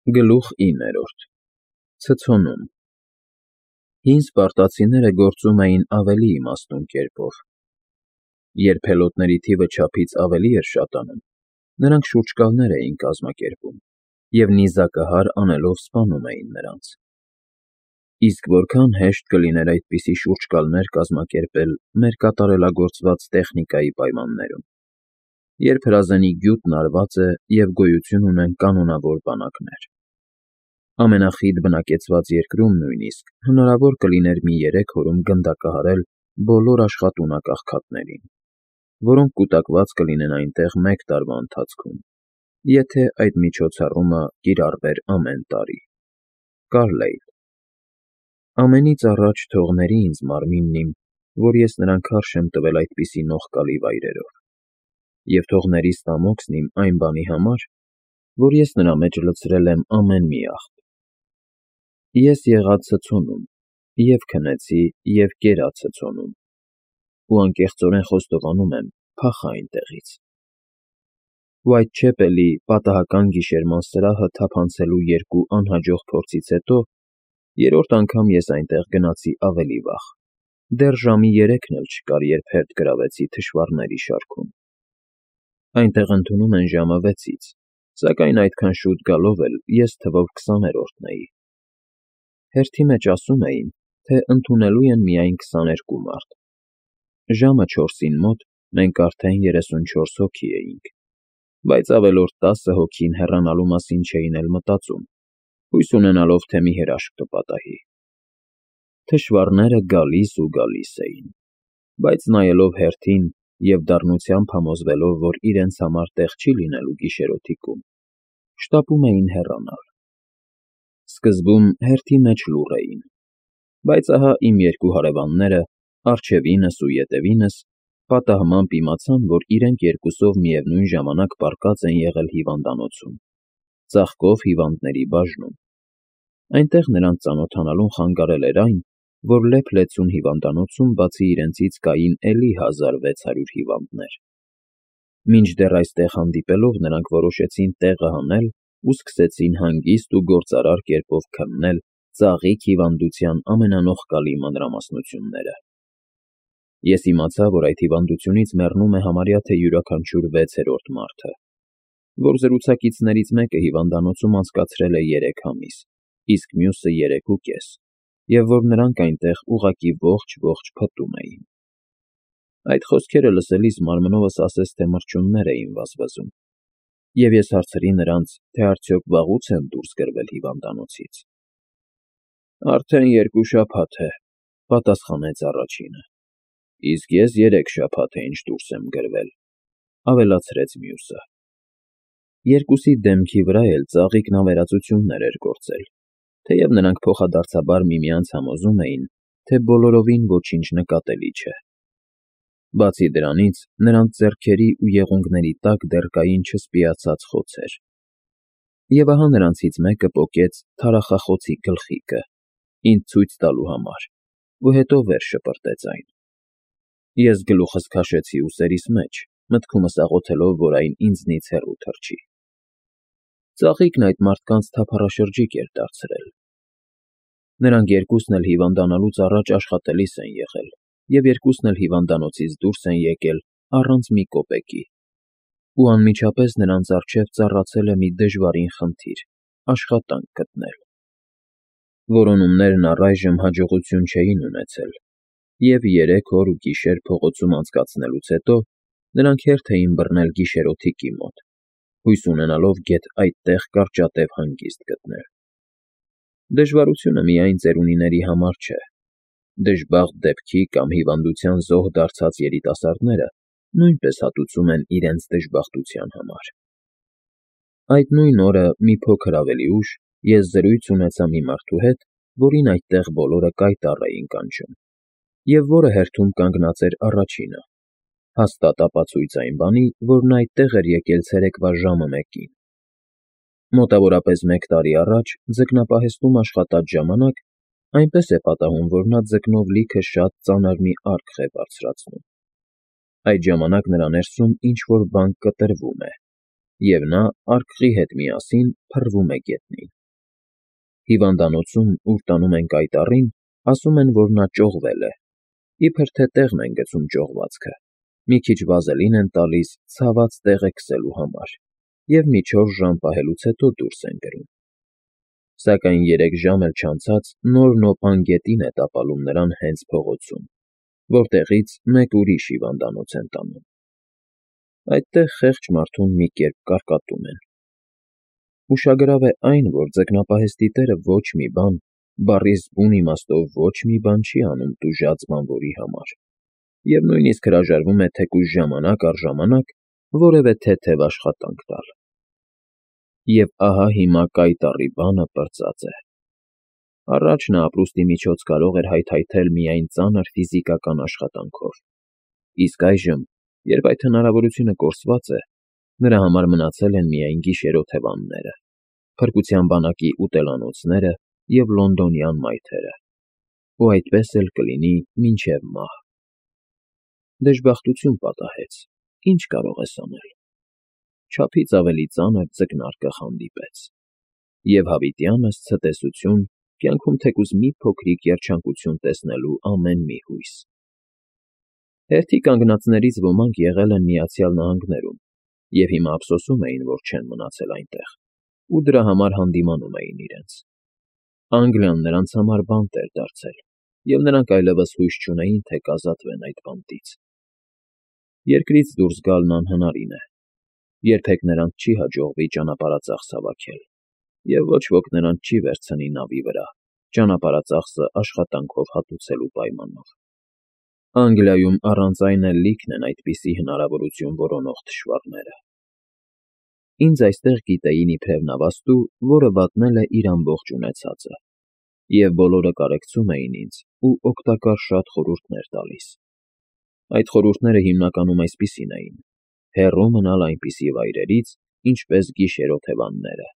Գլուխ 9 Ցցոնում Հին սպարտացիները գործում էին ավելի իմաստուն կերպով. երբ հելոտների թիվը չափից ավելի էր շատանում, նրանք շուրջկալներ էին կազմակերպում և նիզակահար անելով սպանում էին նրանց։ Իսկ որքան հեշտ կլիներ այդպիսի շուրջկալներ կազմակերպել մեր կատարելագործված տեխնիկայի պայմաններում, երբ հրազենի գյուտն արված է և գոյություն ունեն կանոնավոր բանակներ։ Ամենախիտ բնակեցված երկրում նույնիսկ հնարավոր կլիներ մի 3 օրում գնդակահարել բոլոր աշխատունակ աղքատներին, որոնք կուտակված կլինեն այնտեղ 1 տարվա ընթացքում, եթե այդ միջոցառումը կիրառվեր ամեն տարի։ Կարլեյլ Ամենից առաջ թող ների ինձ մարմինն իմ, որ ես նրան քարշ եմ տվել այդպիսի նողկալի վայրերով, և թող ների ստամոքսն իմ այն բանի համար, որ ես նրա մեջ լցրել եմ ամեն մի աղբ։ Ես եղա ցցոնում, և քնեցի, և կերա ցցոնում, ու անկեղծորեն խոստովանում եմ, փախա այնտեղից։ Ուայթչեպելի պատահական գիշերման սրահը թափանցելու 2 անհաջող փորձից հետո երրորդ անգամ ես այնտեղ գնացի ավելի վաղ, դեռ ժամի 3-ն էլ չկար, երբ հերթ գրավեցի թշվառների շարքում։ Այնտեղ ընդունում են ժամը 6-ից, սակայն այդքան շուտ գալով էլ ես թվով 20-րդն էի։ Հերթի մեջ ասում էին, թե ընդունելու են միայն 22 մարդ։ Ժամը 4-ին մոտ մենք արդեն 34 հոգի էինք, բայց ավելորդ 10 հոգին հեռանալու մասին չէին էլ մտածում, հույս ունենալով, թե մի հրաշք կպատահի։ Թշվառները գալիս ու գալիս էին, բայց նայելով հերթին և դառնությամբ համոզվելով, որ իրենց համար տեղ չի լինելու գիշերօթիկում, շտապում էին հեռանալ։ Սկզբում հերթի մեջ լուռ էին, բայց ահա իմ 2 հարևանները, առջևինս ու ետևինս, պատահմամբ իմացան, որ իրենք երկուսով միևնույն ժամանակ պառկած են եղել հիվանդանոցում, ծաղկով հիվանդների բաժնում։ Այնտեղ նրանց ծանոթանալուն խանգարել էր այն, որ լեփ-լեցուն հիվանդանոցում բացի իրենցից կային էլի 1600 հիվանդներ։ Մինչդեռ այստեղ հանդիպելով նրանք որոշեցին տեղը հանել ու սկսեցին հանգիստ ու գործարար կերպով քննել ծաղիկ հիվանդության ամենանողկալի մանրամասնությունները։ Ես իմացա, որ այդ հիվանդությունից մեռնում է համարյա թե յուրաքանչյուր 6-րդ մարդը, որ զրուցակիցներից մեկը հիվանդանոցում անցկացրել է 3 ամիս, իսկ մյուսը 3.5, և որ նրանք այնտեղ ուղղակի ողջ փտում էին։ Այդ խոսքերը լսելիս մարմնովս ասես թե մրջյուններ էին վազվզում, և ես հարցրի նրանց, թե արդյոք վաղուց են դուրս գրվել հիվանդանոցից։ Արդեն 2 շաբաթ է, պատասխանեց առաջինը։ Իսկ ես 3 շաբաթ է ինչ դուրս եմ գրվել, ավելացրեց մյուսը։ Երկուսի դեմքի վրա էլ ծաղիկն ավերածություններ էր գործել, թեև նրանք փոխադարձաբար միմյանց համոզում էին, թե բոլորովին ոչինչ նկատելի չէ։ Բացի դրանից, նրանց ձեռքերի ու եղունգների տակ դեռ կային չսպիացած խոցեր։ Եվ ահա նրանցից մեկը պոկեց թարախախոցի գլխիկը, ինձ ցույց տալու համար, ու հետո վեր շպրտեց այն։ Ես գլուխս քաշեցի ուսերիս մեջ, մտքումս աղոթելով, որ այն ինձնից հեռու թռչի։ Ծաղիկն այդ մարդկանց թափառաշրջիկ էր դարձրել։ Նրանք երկուսն էլ հիվանդանալուց առաջ աշխատելիս են եղել, և երկուսն էլ հիվանդանոցից դուրս են եկել առանց մի կոպեկի։ Ու անմիջապես նրանց առջև ծառացել է մի դժվարին խնդիր՝ աշխատանք գտնել։ Որոնումներն առայժմ հաջողություն չէին ունեցել, և 3 օր ու գիշեր փողոցում անցկացնելուց հետո նրանք հերթ էին բռնել գիշերօթիկի մոտ, հույս ունենալով գեթ այդտեղ կարճատև հանգիստ գտնել։ Դժվարությունը միայն ծերունիների համար չէ։ Դժբախտ դեպքի կամ հիվանդության զոհ դարձած երիտասարդները նույնպես հատուցում են իրենց դժբախտության համար։ Այդ նույն օրը մի փոքր ավելի ուշ ես զրույց ունեցա մի մարդու հետ, որին այդտեղ բոլորը կայտառ էին կանչում, և որը հերթում կանգնած էր առաջինը, հաստատ ապացույց այն բանի, որ նա այդտեղ էր եկել ցերեկվա ժամը 1-ին։ Մոտավորապես 1 տարի առաջ ձկնապահեստում աշխատած ժամանակ այնպես է պատահում, որ նա ձկնով լիքը շատ ծանր մի արկղ է բարձրացնում։ Այդ ժամանակ նրա ներսում ինչ֊որ բան կտրվում է, և նա արկղի հետ միասին փռվում է գետնին։ Հիվանդանոցում, ուր տանում են կայտառին, ասում են, որ նա ճողվել է, իբր թե տեղն են գցում ճողվածքը, մի քիչ վազելին են տալիս ցաված տեղը քսելու համար և մի 4 ժամ պահելուց հետո դուրս են կրում։ Սակայն 3 ժամ էլ չանցած նոր նոպան գետին է տապալում նրան հենց փողոցում, որտեղից մեկ ուրիշ հիվանդանոց են տանում։ Այդտեղ խեղճ մարդուն մի կերպ կարկատում են։ Ուշագրավ է այն, որ ձկնապահեստի տերը ոչ մի բան, բառիս բուն իմաստով ոչ մի բան չի անում տուժած բանվորի համար, և նույնիսկ հրաժարվում է թեկուզ ժամանակ առ ժամանակ որևէ թեթև աշխատանք տալ։ Եվ ահա հիմա կայտառի բանը պրծած է։ Առաջ նա ապրուստի միջոց կարող էր հայթայթել միայն ծանր ֆիզիկական աշխատանքով, իսկ այժմ, երբ այդ հնարավորությունը կորսված է, նրա համար մնացել են միայն գիշերօթևանները, փրկության բանակի ուտելանոցները և լոնդոնյան մայթերը, ու այդպես էլ կլինի մինչև մահ։ Դժբախտություն պատահեց, ինչ կարող ես անել։ Չափից ավելի ծանր ձկնարկը հանդիպեց, և հավիտյանս ցտեսություն, կյանքում թեկուզ մի փոքրիկ երջանկություն տեսնելու ամեն մի հույս։ Հերթի կանգնածներից ոմանք եղել են Միացյալ Նահանգներում և հիմա ափսոսում էին, որ չեն մնացել այնտեղ, ու դրա համար հանդիմանում էին իրենց։ Անգլիան նրանց համար բանտ էր դարձել, և նրանք այլևս հույս չունեին, թե կազատվեն այդ բանտից։ Երկրից դուրս գալն անհնարին է, երբեք նրանց չի հաջողվի ճանապարհածախս հավաքել, և ոչ ոք նրանց չի վերցնի նավի վրա, ճանապարհածախսը աշխատանքով հատուցելու պայմանով։ Անգլիայում առանց այն էլ լիքն են այդպիսի հնարավորություն որոնող թշվառները։ Ինձ այստեղ գիտեին իբրև նավաստու, որը վատնել է իր ամբողջ ունեցածը, և բոլորը կարեկցում էին ինձ ու օգտակար շատ խորհուրդներ տալիս։ Այդ խորհուրդները հիմնականում այսպիսին էին. հեռու մնալ այնպիսի վայրերից, ինչպես գիշերօթևանները,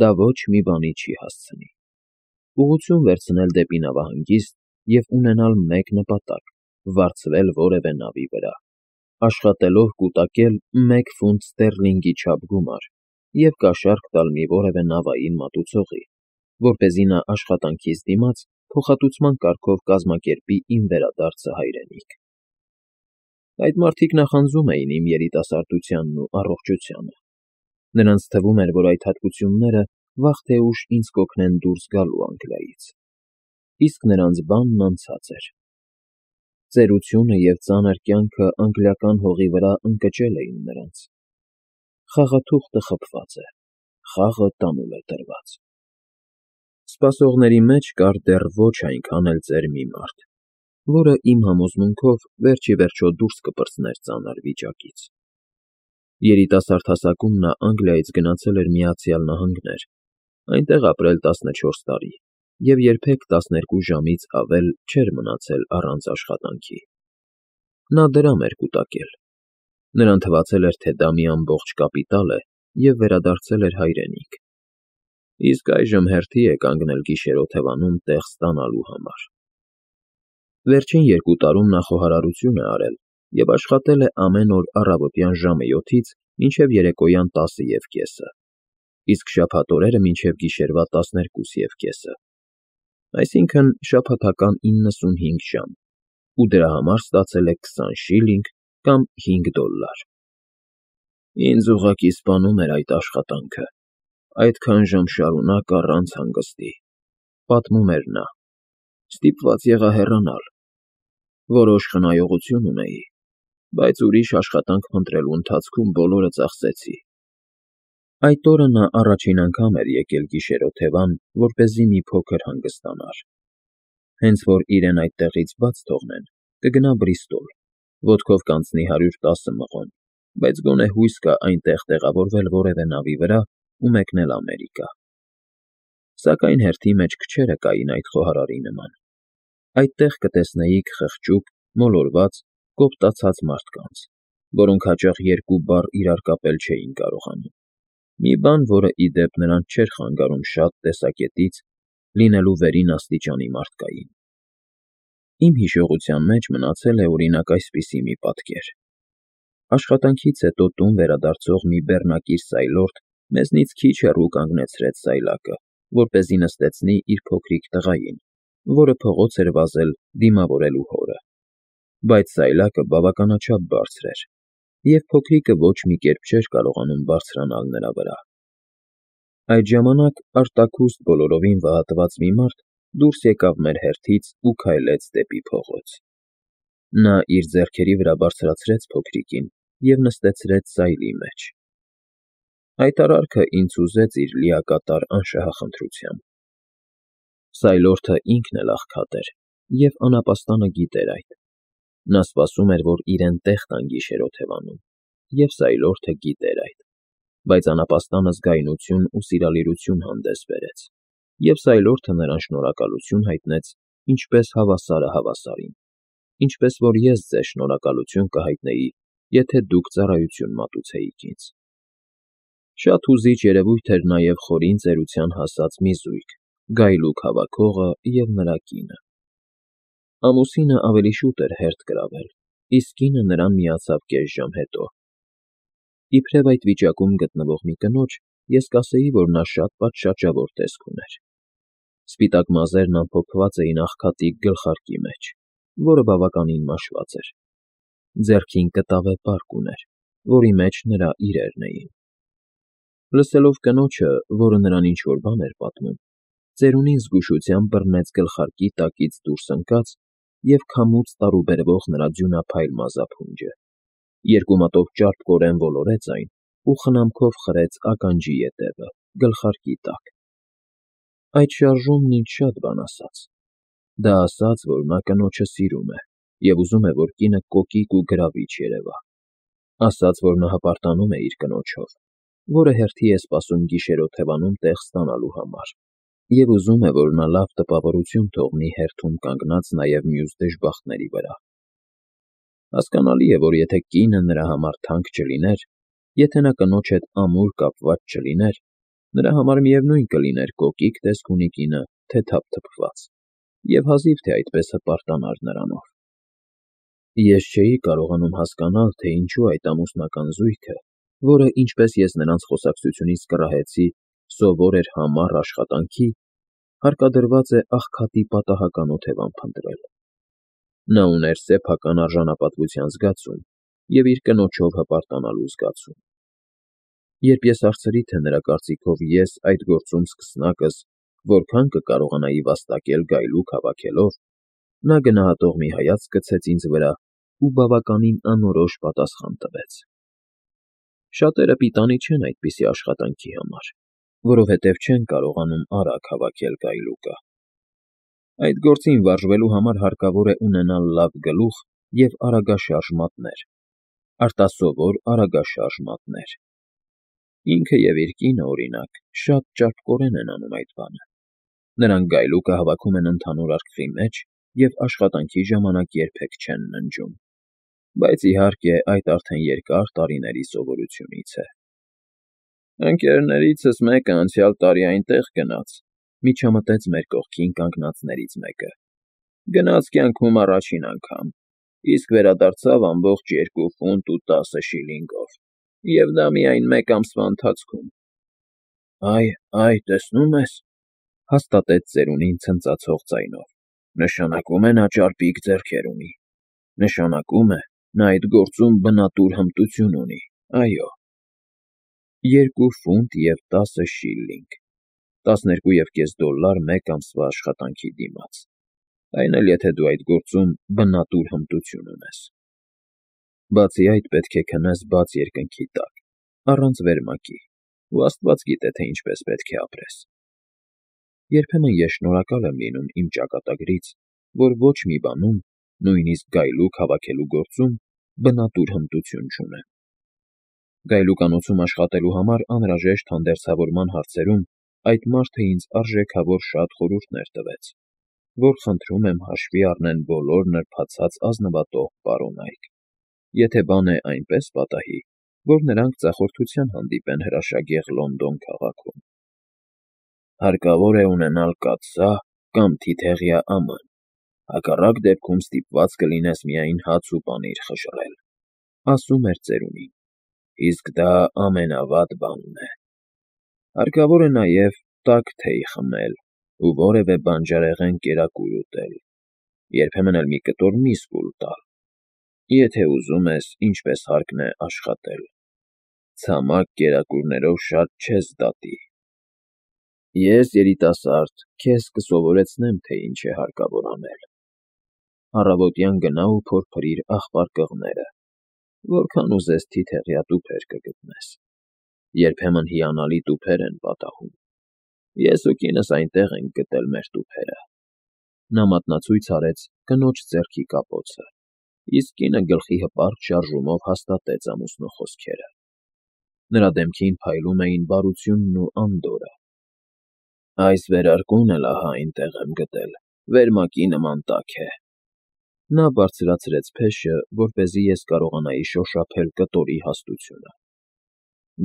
դա ոչ մի բանի չի հասցնի։ Ուղղություն վերցնել դեպի նավահանգիստ և ունենալ մեկ նպատակ՝ վարձվել որևէ նավի վրա, աշխատելով կուտակել 1 ֆունտ ստերլինգի չափ գումար և կաշառք տալ մի որևէ նավային մատուցողի, որպեսզի նա աշխատանքիս դիմաց փոխհատուցման կարգով կազմակերպի իմ վերադարձը հայրենիք։ Այդ մարդիկ նախանձում էին իմ երիտասարդությանն ու առողջությանը։ Նրանց թվում էր, որ այդ հատկությունները վաղ թե ուշ ինձ կօգնեն դուրս գալու Անգլիայից։ Իսկ նրանց բանն անցած էր։ Ծերությունը և ծանր կյանքը անգլիական հողի վրա ընկճել էին նրանց։ Խաղաթուղթը խփված է, խաղը տանուլ է տրված։ Սպասողների մեջ կար դեռ ոչ այնքան էլ ծեր մի մարդ, որը իմ համոզմունքով վերջիվերջո դուրս կպրծներ ծանր վիճակից։ Երիտասարդ հասակում նա Անգլիայից գնացել էր Միացյալ Նահանգներ, այնտեղ ապրել 14 տարի և երբեք 12 ժամից ավել չէր մնացել առանց աշխատանքի։ Նա դրամ էր կուտակել։ Նրան թվացել էր, թե դա մի ամբողջ կապիտալ է և վերադարձել էր հայրենիք։ Իսկ այժմ հերթի է կանգնել գիշերօթևանում տեղ ստանալու համար։ Վերջին 2 տարում նա խոհարարություն է արել և աշխատել է ամեն օր առավոտյան ժամը 7-ից մինչև երեկոյան 10:30, իսկ շաբաթօրերը մինչև գիշերվա 12:30, այսինքն՝ շաբաթական 95 ժամ, ու դրա համար ստացել է 20 շիլինգ կամ $5։ Ինձ ուղղակի սպանում էր այդ աշխատանքը, այդքան ժամ շարունակ առանց հանգստի, պատմում էր նա, ստիպված եղա հեռանալ։ Որոշ խնայողություն ունեի, բայց ուրիշ աշխատանք փնտրելու ընթացքում բոլորը ծախսեցի։ Այդ օրը նա առաջին անգամ էր եկել գիշերօթևան, որպեսզի մի փոքր հանգստանար։ Հենց որ իրեն այդտեղից բաց թողնեն, կգնա Բրիստոլ, ոտքով կանցնի 110 մղոն, բայց գոնե հույս կա այնտեղ տեղավորվել որևէ նավի վրա ու մեկնել Ամերիկա։ Սակայն հերթի մեջ քչերը կային այդ խոհարարի նման։ Այդտեղ կտեսնեիք խղճուկ, մոլորված, կոպտացած մարդկանց, որոնք հաճախ 2 բառ իրար կապել չէին կարողանում, մի բան, որը, ի դեպ, նրանց չէր խանգարում շատ տեսակետից լինելու վերին աստիճանի մարդկային։ Իմ հիշողության մեջ մնացել է, օրինակ, այսպիսի մի պատկեր։ Աշխատանքից հետո տուն վերադարձող մի բեռնակիր սայլորդ մեզնից քիչ հեռու կանգնեցրեց սայլակը, որպեսզի նստեցնի իր փոքրիկ տղային, որը փողոց էր վազել դիմավորելու հորը, բայց սայլակը բավականաչափ բարձր էր, և փոքրիկը ոչ մի կերպ չէր կարողանում բարձրանալ նրա վրա։ Այդ ժամանակ արտաքուստ բոլորովին վհատված մի մարդ դուրս եկավ մեր հերթից ու քայլեց դեպի փողոց։ Նա իր ձեռքերի վրա բարձրացրեց փոքրիկին և նստեցրեց սայլի մեջ։ Այդ արարքը ինձ հուզեց իր լիակատար անշահախնդրությամբ։ Սայլորդը ինքն էլ աղքատ էր և անապաստանը գիտեր այդ։ Նա սպասում էր, որ իրեն տեղ տան գիշերօթևանում, և սայլորդը գիտեր այդ, բայց անապաստանը զգայունություն ու սիրալիրություն հանդես բերեց, և սայլորդը նրան շնորհակալություն հայտնեց ինչպես հավասարը հավասարին, ինչպես որ ես ձեզ շնորհակալություն կհայտնեի, եթե դուք ծառայություն մատուցեիք ինձ։ Շատ հուզիչ երևույթ էր նաև խորին ծերության հասած մի զույգ՝ գայլուկ հավաքողը և նրա կինը։ Ամուսինը ավելի շուտ էր հերթ կրավել, իսկ կինը նրան միացավ կես ժամ հետո։ Իբրև այդ վիճակում գտնվող մի կնոջ ես կասեի, որ նա շատ պատշաճավոր տեսք ուներ։ Սպիտակ մազերն ամփոփված էին աղքատի գլխարկի մեջ, որը բավականին մաշված էր։ Ձեռքին կտավե պարկ ուներ, որի մեջ նրա իրերն էին։ Լսելով կնոջը, որը նրան ինչ-որ բան էր պատմում, ծերունին զգուշությամբ բռնեց գլխարկի տակից դուրս ընկած և քամուց տարուբերվող նրա ձյունափայլ մազափունջը, երկու մատով ճարպկորեն ոլորեց այն ու խնամքով խրեց ականջի ետևը, գլխարկի տակ։ Այդ շարժումն ինձ շատ բան ասաց։ Դա ասաց, որ նա կնոջը սիրում է և ուզում է, որ կինը կոկիկ ու գրավիչ երևա։ Ասաց, որ նա հպարտանում է իր կնոջով, որը հերթի է սպասում գիշերօթևանում տեղ ստանալու համար, և ուզում է, որ նա լավ տպավորություն թողնի հերթում կանգնած նաև մյուս դժբախտների վրա։ Հասկանալի է, որ եթե կինը նրա համար թանկ չլիներ, եթե նա կնոջ հետ ամուր կապված չլիներ, նրա համար միևնույն կլիներ կոկիկ տեսք ունի կինը, թե թափթփված, և հազիվ թե այդպես հպարտանար նրանով։ Ես չէի կարողանում հասկանալ, թե ինչու այդ ամուսնական զույգը, որը, ինչպես ես նրանց խոսակցությունից կռահեցի, սովոր էր համառ աշխատանքի, հարկադրված է աղքատի պատահական օթևան փնտրել։ Նա ուներ սեփական արժանապատվության զգացում և իր կնոջով հպարտանալու զգացում։ Երբ ես հարցրի, թե նրա կարծիքով ես այդ գործում սկսնակս որքան կկարողանայի վաստակել գայլուկ հավաքելով, նա գնահատող մի հայացք գցեց ինձ վրա ու բավականին անորոշ պատասխան տվեց. Շատերը պիտանի չեն այդպիսի աշխատանքի համար, որովհետև չեն կարողանում արագ հավաքել գայլուկը։ Այդ գործին վարժվելու համար հարկավոր է ունենալ լավ գլուխ և արագաշարժ մատներ, արտասովոր արագաշարժ մատներ։ Ինքը և իր կինը, օրինակ, շատ ճարպկորեն են անում այդ բանը։ Նրանք գայլուկը հավաքում են ընդհանուր արկղի մեջ և աշխատանքի ժամանակ երբեք չեն ննջում։ Բայց, իհարկե, այդ արդեն երկար տարիների սովորությունից է։ Ընկերներիցս մեկը անցյալ տարի այնտեղ գնաց, միջամտեց մեր կողքին կանգնածներից մեկը։ Գնաց կյանքում առաջին անգամ, իսկ վերադարձավ ամբողջ 2 ֆունտ ու 10 շիլինգով, և դա միայն մեկ ամսվա ընթացքում։ Այ, տեսնում ես,֊ հաստատեց ծերունին ցնծացող ձայնով,֊ նշանակում է նա ճարպիկ ձեռքեր ունի, նշանակում է նա այդ գործում բնատուր հմտություն ունի, այո։ 2 ֆունտ և 10 շիլլինգ, $12.5 մեկ ամսվա աշխատանքի դիմաց, այն էլ եթե դու այդ գործում բնատուր հմտություն ունես։ Բացի այդ, պետք է քնես բաց երկնքի տակ, առանց վերմակի, ու Աստված գիտե, թե ինչպես պետք է ապրես։ Երբեմն ես շնորհակալ եմ լինում իմ ճակատագրից, որ ոչ մի բանում, նույնիսկ գայլուկ հավաքելու գործում, բնատուր հմտություն չունեմ։ Գայլուկանոցում աշխատելու համար անհրաժեշտ հանդերձավորման հարցերում այդ մարդը ինձ արժեքավոր շատ խորհուրդներ տվեց, որ խնդրում եմ հաշվի առնեն բոլոր նրբացած ազնվատող պարոնայք, եթե բան է այնպես պատահի, որ նրանք ձախորդության հանդիպեն հրաշագեղ Լոնդոն քաղաքում։ Հարկավոր է ունենալ կաթսա կամ թիթեղյա աման, հակառակ դեպքում ստիպված կլինես միայն հաց ու պանիր խժռել։ ասում էր ծերունին. իսկ դա ամենավատ բանն է։ Հարկավոր է նաև տաք թեյ խմել ու որևէ բանջարեղեն կերակուր ուտել, երբեմն էլ մի կտոր միս կուլ տալ, եթե ուզում ես ինչպես հարկն է աշխատել, ցամաք կերակուրներով շատ չես դատի։ Ես, երիտասարդ, քեզ կսովորեցնեմ, թե ինչ է հարկավոր անել։ Առավոտյան գնա ու փորփրիր աղբար կղները, որքան ուզես թիթեղյա տուփեր կգտնես, երբեմն հիանալի տուփեր են պատահում, ես ու կինս այնտեղ ենք գտել մեր տուփերը։ Նա մատնացույց արեց կնոջ ձեռքի կապոցը, իսկ կինը գլխի հպարտ շարժումով հաստատեց ամուսնու խոսքերը։ Նրա դեմքին փայլում էին բարությունն ու անդորրը։ Այս վերարկուն էլ ահա այնտեղ եմ գտել, վերմակի նման տաք է։ Նա բարձրացրեց փեշը, որպեսզի ես կարողանայի շոշափել կտորի հաստությունը։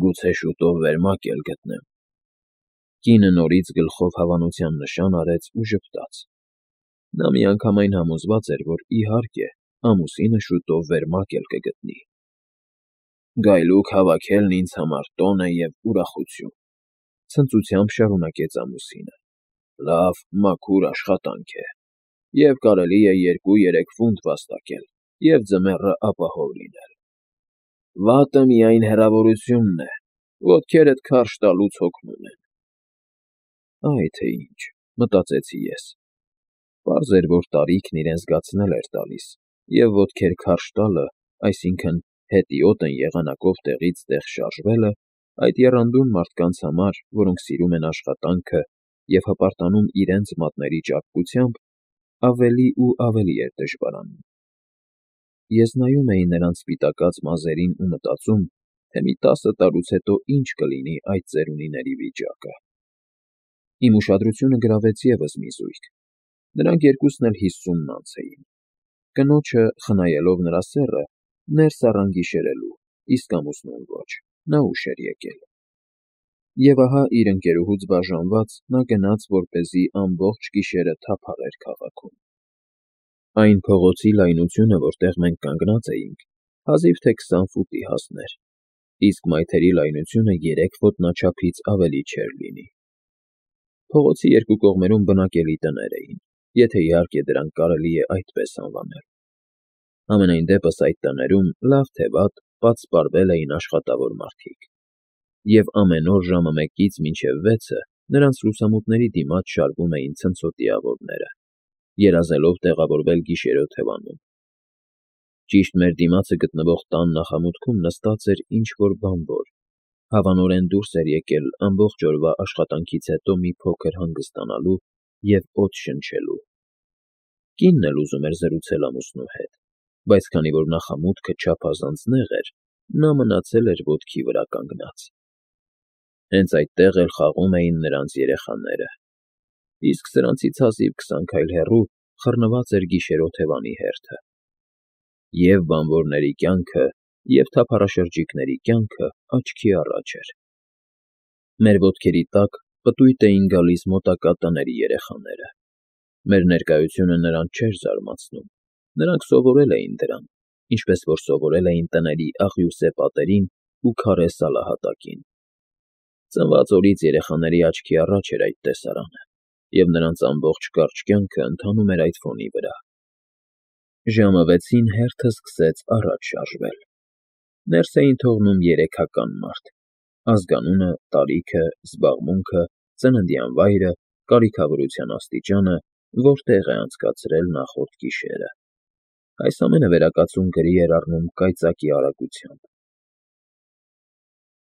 Գուցե շուտով վերմակ էլ գտնեմ։ Կինը նորից գլխով հավանության նշան արեց ու ժպտաց։ Նա միանգամայն համոզված էր, որ իհարկե ամուսինը շուտով վերմակ էլ կգտնի։ Գայլուկ հավաքելն ինձ համար տոն է և ուրախություն, ցնծությամբ շարունակեց ամուսինը։ Լավ, մաքուր աշխատանք է, և կարելի է 2-3 ֆունտ վաստակել և ձմեռը ապահով լինել։ Վատը միայն հեռավորությունն է, ոտքերդ քարշ տալուց հոգնում են։ Այ թե ինչ, մտածեցի ես։ Պարզ էր, որ տարիքն իրեն զգացնել էր տալիս, և ոտքեր քարշ տալը, այսինքն հետիոտն եղանակով տեղից տեղ շարժվելը, այդ եռանդուն մարդկանց համար, որոնք սիրում են աշխատանքը և հպարտանում իրենց մատների ճարպկությամբ, ավելի ու ավելի էր դժվարանում։ Ես նայում էի նրանց սպիտակած մազերին ու մտածում, թե մի 10 տարուց հետո ինչ կլինի այդ ծերունիների վիճակը։ Իմ ուշադրությունը գրավեց ևս մի զույգ։ Նրանք երկուսն էլ 50-ն անց էին։ Կնոջը, խնայելով նրա սեռը, ներս առան գիշերելու, իսկ ամուսնուն ոչ, նա ուշ էր եկել։ Եվ ահա իր ընկերուհուց բաժանված նա գնաց, որպեսզի ամբողջ գիշերը թափառեր քաղաքում։ Այն փողոցի լայնությունը, որտեղ մենք կանգնած էինք, հազիվ թե 20 ֆուտի հասներ, իսկ մայթերի լայնությունը 3 ոտնաչափից ավելի չէր լինի։ Փողոցի երկու կողմերում բնակելի տներ էին, եթե իհարկե դրանք կարելի է այդպես անվանել։ Համենայն դեպս այդ տներում, լավ թե վատ, պատսպարվել էին աշխատավոր մարդիկ, և ամեն օր ժամը 1-ից մինչև 6-ը նրանց լուսամուտների դիմաց շարվում էին ցնցոտիավորները, երազելով տեղավորվել գիշերօթևանում։ Ճիշտ մեր դիմացը գտնվող տան նախամուտքում նստած էր ինչ-որ բանվոր, հավանորեն դուրս էր եկել ամբողջ օրվա աշխատանքից հետո մի փոքր հանգստանալու և օդ շնչելու։ Կինն էլ ուզում էր զրուցել ամուսնու հետ, բայց քանի որ նախամուտքը չափազանց նեղ էր, նա մնացել էր ոտքի վրա կանգնած։ Հենց այդտեղ էլ խաղում էին նրանց երեխաները, իսկ սրանցից հազիվ 20 քայլ հեռու խռնված էր գիշերօթևանի հերթը։ Եվ բանվորների կյանքը, և թափառաշրջիկների կյանքը աչքի առաջ էր։ Մեր ոտքերի տակ պտույտ էին գալիս մոտակա տների երեխաները։ Մեր ներկայությունը նրանց չէր զարմացնում, նրանք սովորել էին դրան, ինչպես որ սովորել էին տների աղյուսե պատերին ու քարե սալահատակին։ Ծնված օրից երեխաների աչքի առաջ էր այդ տեսարանը, և նրանց ամբողջ կարճ կյանքը ընթանում էր այդ ֆոնի վրա։ Ժամը 6-ին հերթը սկսեց առաջ շարժվել։ Ներս էին թողնում երեքական մարդ՝ ազգանունը, տարիքը, զբաղմունքը, ծննդյան վայրը, կարիքավորության աստիճանը, որտեղ է անցկացրել նախորդ գիշերը։ Այս ամենը վերակացուն գրի էր առնում կայծակի արագությամբ։